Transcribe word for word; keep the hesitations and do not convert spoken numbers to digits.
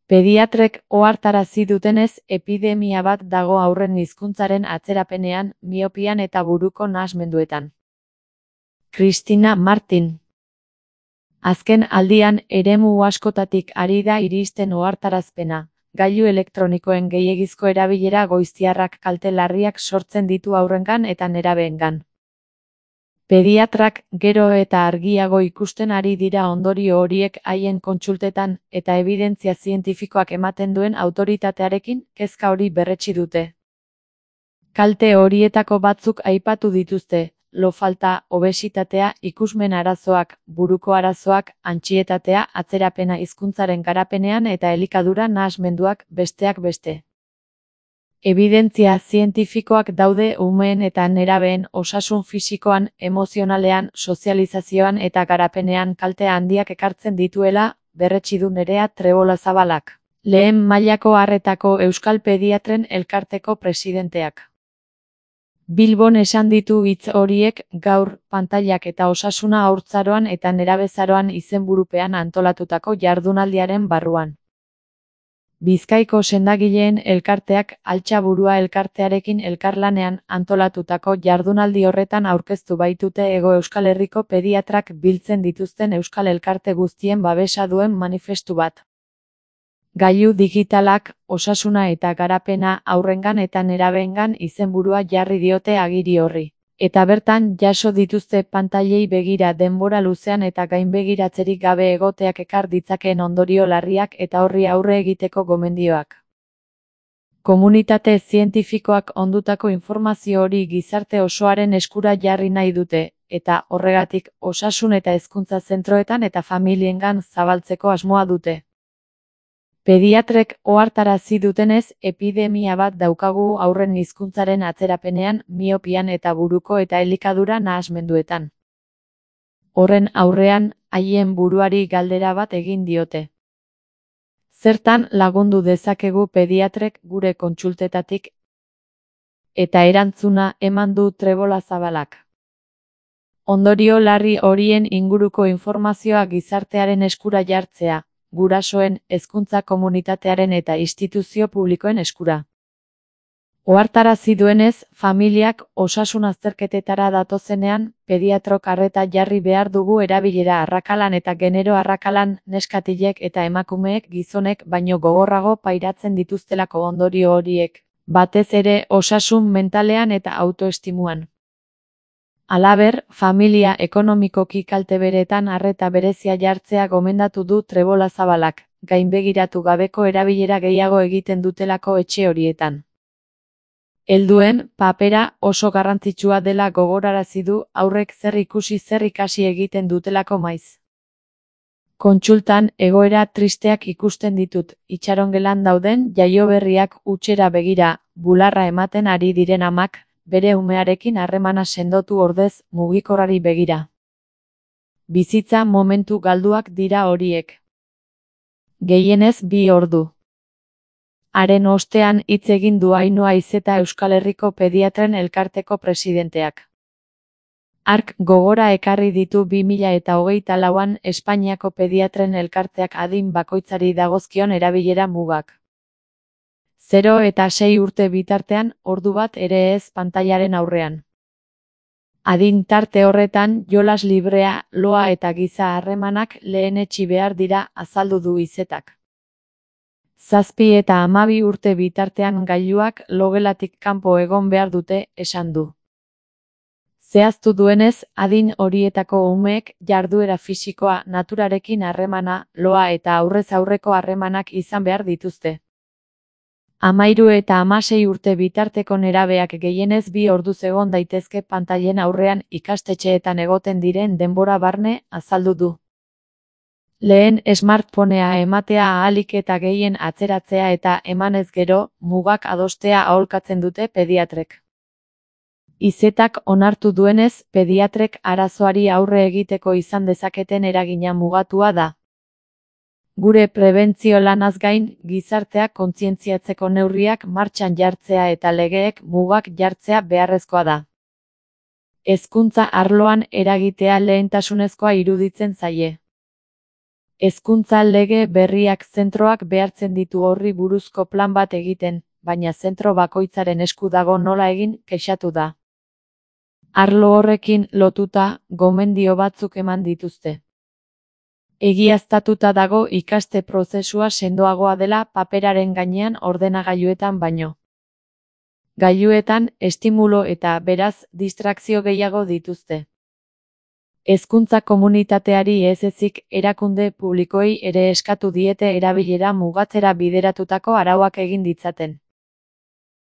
Pediatrek ohartarazi dutenez, epidemia bat dago haurren hizkuntzaren atzerapenean, miopian eta buruko nahasmenduetan. Cristina Martin. Azken aldian, eremu askotatik ari da iristen ohartarazpena. Gailu elektronikoen gehiegizko erabilera goiztiarrak kalte larriak sortzen ditu haurrengan eta nerabeengan. Pediatrak gero eta argiago ikusten ari dira ondorio horiek haien kontsultetan eta ebidentzia zientifikoak ematen duen autoritatearekin kezka hori berretsi dute. Kalte horietako batzuk aipatu dituzte: lo falta, obesitatea, ikusmen arazoak, buruko arazoak, antsietatea, atzerapena hizkuntzaren garapenean eta elikadura nahasmenduak, besteak beste. Ebidentzia zientifikoak daude umeen eta nerabeen osasun fisikoan, emozionalean, sozializazioan eta garapenean kalte handiak ekartzen dituela, berretsi du Nerea Trebolazabalak, lehen mailako arretako Euskal Pediatren Elkarteko presidenteak. Bilbon esan ditu hitz horiek gaur, pantailak eta osasuna haurtzaroan eta nerabezaroan izenburupean antolatutako jardunaldiaren barruan. Bizkaiko sendagileen elkarteak Altxaburua elkartearekin elkarlanean antolatutako jardunaldi horretan aurkeztu baitute Hego Euskal Herriko pediatrak biltzen dituzten euskal elkarte guztien babesa duen manifestu bat. Gailu digitalak, osasuna eta garapena haurrengan eta nerabeengan izenburua jarri diote agiri horri. Eta bertan jaso dituzte pantailei begira denbora luzean eta gainbegiratzerik gabe egoteak ekar ditzakeen ondorio larriak eta horri aurre egiteko gomendioak. Komunitate zientifikoak ondutako informazio hori gizarte osoaren eskura jarri nahi dute, eta horregatik osasun eta hezkuntza zentroetan eta familiengan zabaltzeko asmoa dute. Pediatrek ohartarazi dutenez, epidemia bat daukagu haurren hizkuntzaren atzerapenean, miopian eta buruko eta elikadura nahasmenduetan. Horren aurrean, haien buruari galdera bat egin diote. Zertan lagundu dezakegu pediatrek gure kontsultetatik? Eta erantzuna eman du Trebolazabalak. Ondorio larri horien inguruko informazioa gizartearen eskura jartzea, gurasoen, hezkuntza komunitatearen eta instituzio publikoen eskura. Ohartarazi duenez, familiak osasun azterketetara datozenean, pediatrok arreta jarri behar dugu erabilera arrakalan eta genero arrakalan, neskatilek eta emakumeek gizonek baino gogorrago pairatzen dituztelako ondorio horiek, batez ere osasun mentalean eta autoestimuan. Halaber, familia ekonomikoki kalteberetan arreta berezia jartzea gomendatu du Trebolazabalak, gainbegiratu gabeko erabilera gehiago egiten dutelako etxe horietan. Helduen papera oso garrantzitsua dela gogorarazi du haurrek zer ikusi zer ikasi egiten dutelako maiz. Kontsultan egoera tristeak ikusten ditut, itxarongelan dauden jaioberriak hutsera begira, bularra ematen ari diren amak, bere umearekin harremana sendotu ordez mugikorrari begira. Bizitza momentu galduak dira horiek. Gehienez bi ordu. Haren ostean hitz egin du Ainhoa Izeta Euskal Herriko Pediatren Elkarteko presidenteak. Hark gogora ekarri ditu bi mila eta hogeita lauan Espainiako Pediatren Elkarteak adin bakoitzari dagozkion erabilera mugak. Zero eta sei urte bitartean, ordu bat ere ez pantailaren aurrean. Adin tarte horretan, jolas librea, loa eta giza harremanak lehenetsi behar dira, azaldu du Izetak. Zazpi eta hamabi urte bitartean gailuak logelatik kanpo egon behar dute, esan du. Zehaztu duenez, adin horietako umeek jarduera fisikoa, naturarekin harremana, loa eta aurrez aurreko harremanak izan behar dituzte. Hamairu eta hamasei urte bitarteko nerabeak gehienez bi orduz egon daitezke pantailen aurrean ikastetxeetan egoten diren denbora barne, azaldu du. Lehen smartphonea ematea ahalik eta gehien atzeratzea eta emanez gero, mugak adostea aholkatzen dute pediatrek. Izetak onartu duenez, pediatrek arazoari aurre egiteko izan dezaketen eragina mugatua da. Gure prebentzio lanaz gain, gizarteak kontzientziatzeko neurriak martxan jartzea eta legeek mugak jartzea beharrezkoa da. Hezkuntza arloan eragitea lehentasunezkoa iruditzen zaie. Hezkuntza lege berriak zentroak behartzen ditu horri buruzko plan bat egiten, baina zentro bakoitzaren esku dago nola egin, kexatu da. Arlo horrekin lotuta, gomendio batzuk eman dituzte. Egiaztatuta dago ikaste prozesua sendoagoa dela paperaren gainean ordenagailuetan baino. Gailuetan, estimulo eta, beraz, distrakzio gehiago dituzte. Hezkuntza komunitateari ez ezik erakunde publikoei ere eskatu diete erabilera mugatzera bideratutako arauak egin ditzaten.